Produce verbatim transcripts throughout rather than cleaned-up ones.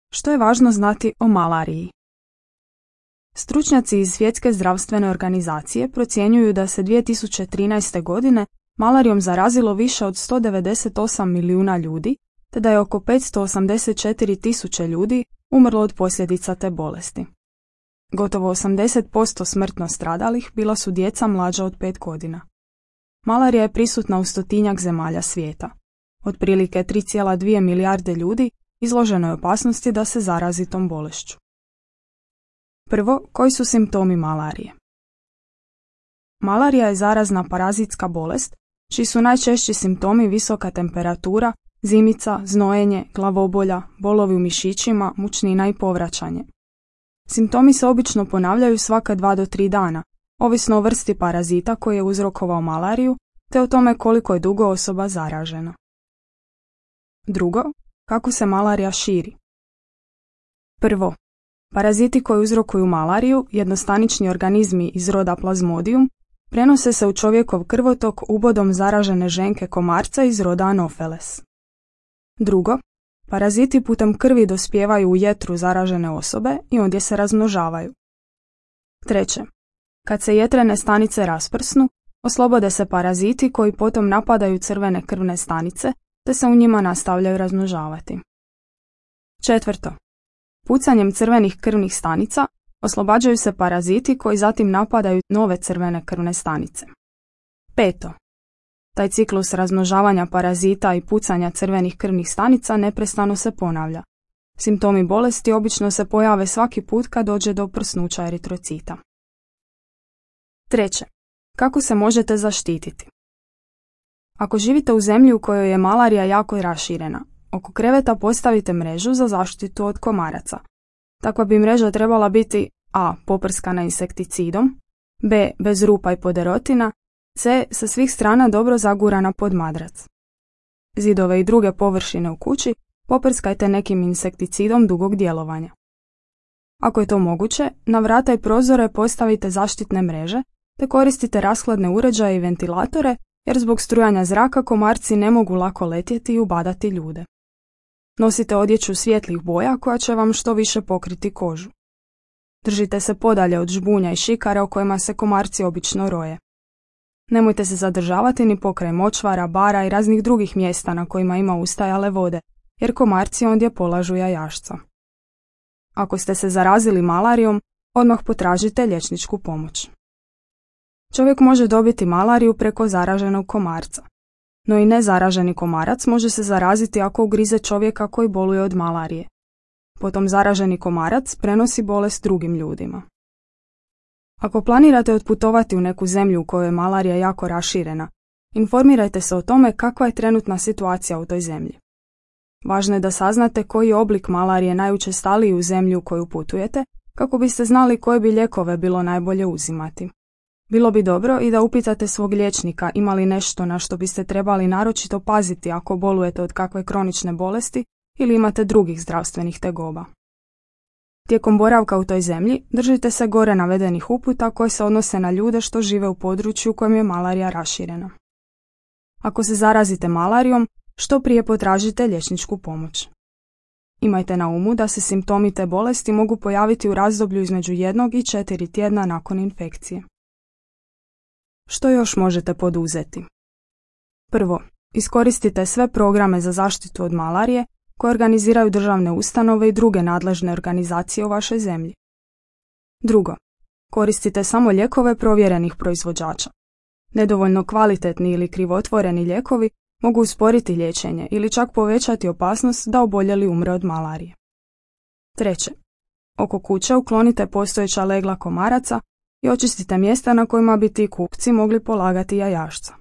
Što je važno znati o malariji? Stručnjaci iz Svjetske zdravstvene organizacije procjenjuju da se dvije tisuće trinaeste. godine malarijom zarazilo više od sto devedeset osam milijuna ljudi, te da je oko petsto osamdeset četiri tisuće ljudi umrlo od posljedica te bolesti. Gotovo osamdeset posto smrtno stradalih bila su djeca mlađa od pet godina. Malarija je prisutna u stotinjak zemalja svijeta. Otprilike tri zarez dvije milijarde ljudi izloženo je opasnosti da se zarazi tom bolešću. Prvo, koji su simptomi malarije? Malarija je zarazna parazitska bolest, čiji su najčešći simptomi visoka temperatura, zimica, znojenje, glavobolja, bolovi u mišićima, mučnina i povraćanje. Simptomi se obično ponavljaju svaka dva do tri dana, ovisno o vrsti parazita koji je uzrokovao malariju, te o tome koliko je dugo osoba zaražena. Drugo, kako se malarija širi? Prvo, paraziti koji uzrokuju malariju, jednostanični organizmi iz roda Plasmodium, prenose se u čovjekov krvotok ubodom zaražene ženke komarca iz roda Anopheles. Drugo, paraziti putem krvi dospijevaju u jetru zaražene osobe i ondje se razmnožavaju. Treće, kad se jetrene stanice rasprsnu, oslobode se paraziti koji potom napadaju crvene krvne stanice, te se u njima nastavljaju razmnožavati. Četvrto, pucanjem crvenih krvnih stanica oslobađaju se paraziti koji zatim napadaju nove crvene krvne stanice. Peto, taj ciklus razmnožavanja parazita i pucanja crvenih krvnih stanica neprestano se ponavlja. Simptomi bolesti obično se pojave svaki put kad dođe do prsnuća eritrocita. Treće, kako se možete zaštititi? Ako živite u zemlji u kojoj je malarija jako raširena, oko kreveta postavite mrežu za zaštitu od komaraca. Takva bi mreža trebala biti a. poprskana insekticidom, b. bez rupa i poderotina, c. sa svih strana dobro zagurana pod madrac. Zidove i druge površine u kući poprskajte nekim insekticidom dugog djelovanja. Ako je to moguće, na vrata i prozore postavite zaštitne mreže te koristite rashladne uređaje i ventilatore, jer zbog strujanja zraka komarci ne mogu lako letjeti i ubadati ljude. Nosite odjeću svjetlih boja koja će vam što više pokriti kožu. Držite se podalje od žbunja i šikara o kojima se komarci obično roje. Nemojte se zadržavati ni pokraj močvara, bara i raznih drugih mjesta na kojima ima ustajale vode, jer komarci ondje polažu jajašca. Ako ste se zarazili malarijom, odmah potražite liječničku pomoć. Čovjek može dobiti malariju preko zaraženog komarca, no i nezaraženi komarac može se zaraziti ako ugrize čovjeka koji boluje od malarije. Potom zaraženi komarac prenosi bolest drugim ljudima. Ako planirate otputovati u neku zemlju u kojoj je malarija jako raširena, informirajte se o tome kakva je trenutna situacija u toj zemlji. Važno je da saznate koji je oblik malarije najučestaliji u zemlji u koju putujete, kako biste znali koje bi lijekove bilo najbolje uzimati. Bilo bi dobro i da upitate svog liječnika ima li nešto na što biste trebali naročito paziti ako bolujete od kakve kronične bolesti ili imate drugih zdravstvenih tegoba. Tijekom boravka u toj zemlji držite se gore navedenih uputa koje se odnose na ljude što žive u području u kojem je malarija raširena. Ako se zarazite malarijom, što prije potražite liječničku pomoć. Imajte na umu da se simptomi te bolesti mogu pojaviti u razdoblju između jednog i četiri tjedna nakon infekcije. Što još možete poduzeti? Prvo, iskoristite sve programe za zaštitu od malarije koje organiziraju državne ustanove i druge nadležne organizacije u vašoj zemlji. Drugo, koristite samo lijekove provjerenih proizvođača. Nedovoljno kvalitetni ili krivotvoreni lijekovi mogu usporiti liječenje ili čak povećati opasnost da oboljeli umre od malarije. Treće, oko kuće uklonite postojeća legla komaraca i očistite mjesta na kojima bi ti kupci mogli polagati jajašca.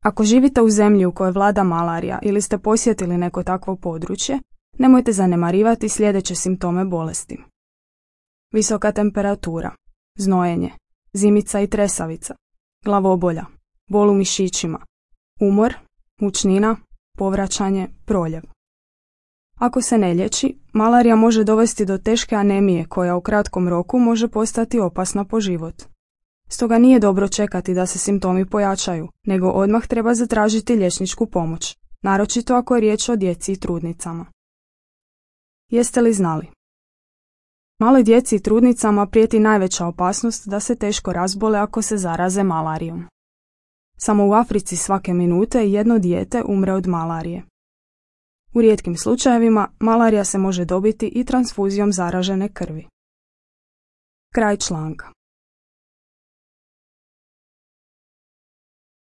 Ako živite u zemlji u kojoj vlada malarija ili ste posjetili neko takvo područje, nemojte zanemarivati sljedeće simptome bolesti. Visoka temperatura, znojenje, zimica i tresavica, glavobolja, bol u mišićima, umor, mučnina, povraćanje, proljev. Ako se ne liječi, malarija može dovesti do teške anemije koja u kratkom roku može postati opasna po život. Stoga nije dobro čekati da se simptomi pojačaju, nego odmah treba zatražiti liječničku pomoć, naročito ako je riječ o djeci i trudnicama. Jeste li znali? Maloj djeci i trudnicama prijeti najveća opasnost da se teško razbole ako se zaraze malarijom. Samo u Africi svake minute jedno dijete umre od malarije. U rijetkim slučajevima malarija se može dobiti i transfuzijom zaražene krvi. Kraj članka.